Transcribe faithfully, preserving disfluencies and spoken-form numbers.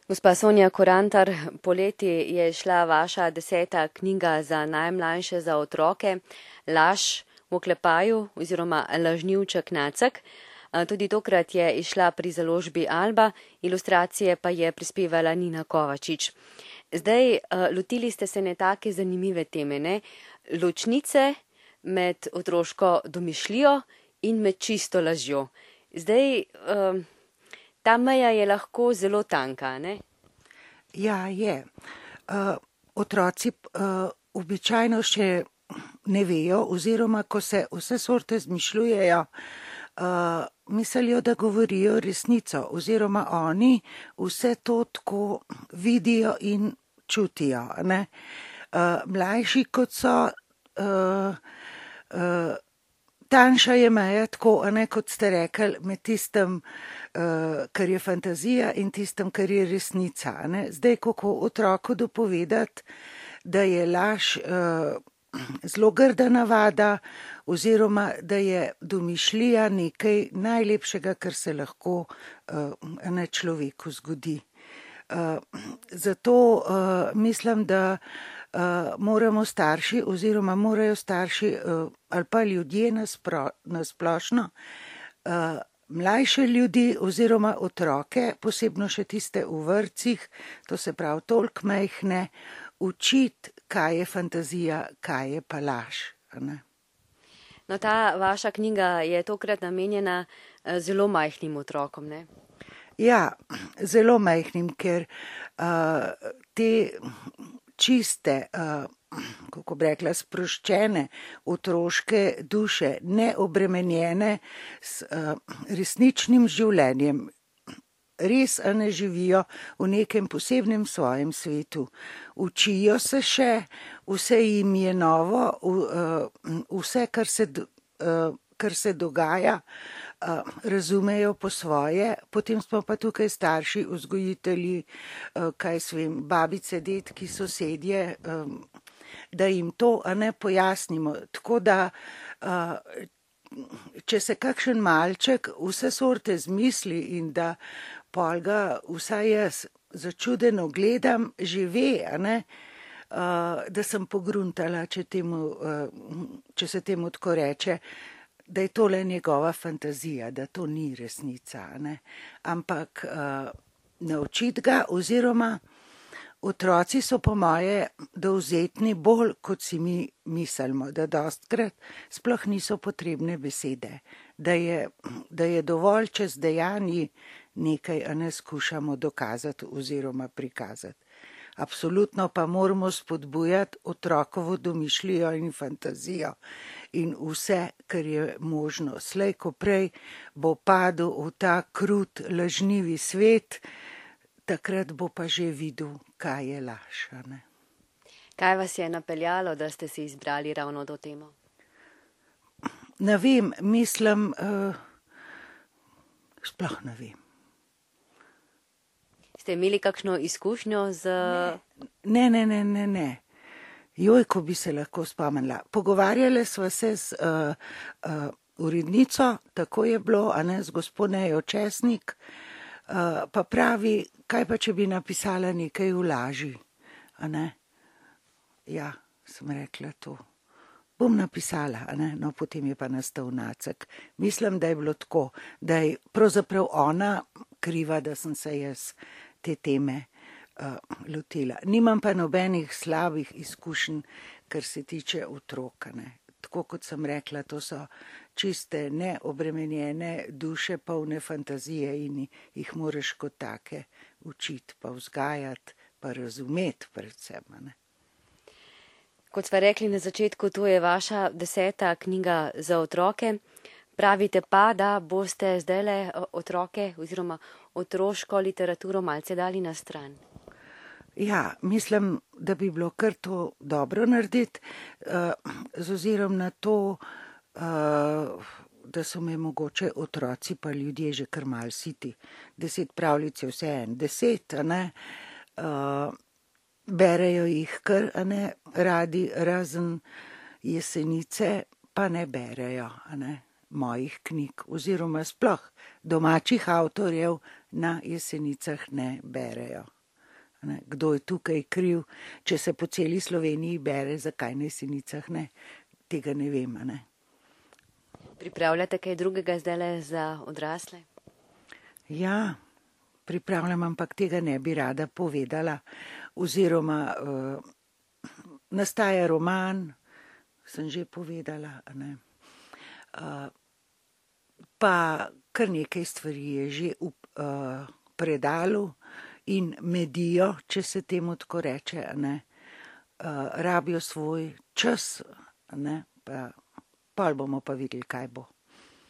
Gospa Sonja Korantar, poleti je šla vaša deseta knjiga za najmlajše, za otroke, Laž v oklepaju oziroma Lažnivček Nacek. Tudi tokrat je izšla pri založbi Alba, ilustracije pa je prispevala Nina Kovačič. Zdaj, lotili ste se ne take zanimive teme, ne? Ločnice med otroško domišljijo in med čisto lažjo. Zdaj, ta meja je lahko zelo tanka, ne? Ja, je. Uh, otroci uh, običajno še ne vejo, oziroma ko se vse sorte zmišljujejo, uh, mislijo, da govorijo resnico, oziroma oni vse to tako vidijo in čutijo. Ne? Uh, mlajši kot so, uh, uh, tanjša je meja, tako, a ne, kot ste rekli, med tistem, uh, kar je fantazija in tistem, kar je resnica. Ne? Zdaj, kako otroku dopovedati, da je laž uh, zelo grda navada, oziroma da je domišljija nekaj najlepšega, kar se lahko uh, ne človeku zgodi. Uh, zato uh, mislim, da uh, moramo starši oziroma morajo starši uh, ali pa ljudje naspro, nasplošno uh, mlajše ljudi oziroma otroke, posebno še tiste v vrtcih, to se pravi toliko majhne, učiti, kaj je fantazija, kaj je pa laž. Ne? No, ta vaša knjiga je tokrat namenjena zelo majhnim otrokom, ne? Ja, zelo majhnim, ker uh, te čiste, uh, kako bi rekla, sproščene otroške duše, neobremenjene s uh, resničnim življenjem, res a ne živijo v nekem posebnem svojem svetu. Učijo se še, vse jim je novo, uh, vse, kar se, uh, kar se dogaja, uh, razumejo po svoje, potem smo pa tukaj starši, vzgojitelji, uh, kaj svem, babice, detki, sosedje, um, da jim to a ne pojasnimo. Tako da, uh, če se kakšen malček vse sorte zmisli in da pol ga vsaj jaz začudeno gledam, že ve, a ne, uh, da sem pogruntala, če, temu, uh, če se temu tako reče, da je tole njegova fantazija, da to ni resnica, ne. Ampak uh, naučiti ga, oziroma otroci so po moje dovzetni bolj, kot si mi mislimo, da dostkrat sploh niso potrebne besede, da je, da je dovolj čez dejanji nekaj, a ne skušamo dokazati oziroma prikazati. Absolutno pa moramo spodbujati otrokovo domišljijo in fantazijo in vse, kar je možno. Slej ko prej bo padel v ta krut, lažnivi svet, takrat bo pa že videl, kaj je laž. Ne? Kaj vas je napeljalo, da ste si izbrali ravno to temo? Ne vem, mislim, uh, sploh ne vem. Ste imeli kakšno izkušnjo z... Ne, ne, ne, ne, ne. Joj, ko bi se lahko spomnila. Pogovarjali sva se z uh, uh, urednico, tako je bilo, a ne, z gospodejo Česnik, uh, pa pravi, kaj pa, če bi napisala nekaj v laži, a ne. Ja, sem rekla to. Bom napisala, a ne, no, potem je pa nastal Nacek. Mislim, da je bilo tako, da je pravzaprav ona kriva, da sem se jaz te teme uh, lotila. Nimam pa nobenih slabih izkušenj, kar se tiče otroka, ne. Tako kot sem rekla, to so čiste neobremenjene duše, polne fantazije in jih moraš kot take učiti, pa vzgajati, pa razumeti predvsem, ne. Kot sva rekli na začetku, to je vaša deseta knjiga za otroke. Pravite pa, da boste zdajle otroke oziroma otroško literaturo malce dali na stran. Ja, mislim, da bi bilo kar to dobro narediti, uh, z ozirom na to, uh, da so me mogoče otroci pa ljudje že kar mal siti. Deset pravljic je vse en, deset, a ne, uh, berejo jih kar, a ne, radi, razen Jesenice, pa ne berejo, a ne, mojih knjig, oziroma sploh domačih avtorjev na Jesenicah ne berejo. Ne? Kdo je tukaj kriv, če se po celi Sloveniji bere, zakaj na Jesenicah ne? Tega ne vem. Ne? Pripravljate kaj drugega zdajle za odrasle? Ja, pripravljam, ampak tega ne bi rada povedala. Oziroma, uh, nastaja roman, sem že povedala, ne. Uh, pa kar nekaj stvari je že v uh, predalu in medijo, če se temu tako reče, ne. Uh, rabijo svoj čas, ne, pa pol bomo pa videli, kaj bo.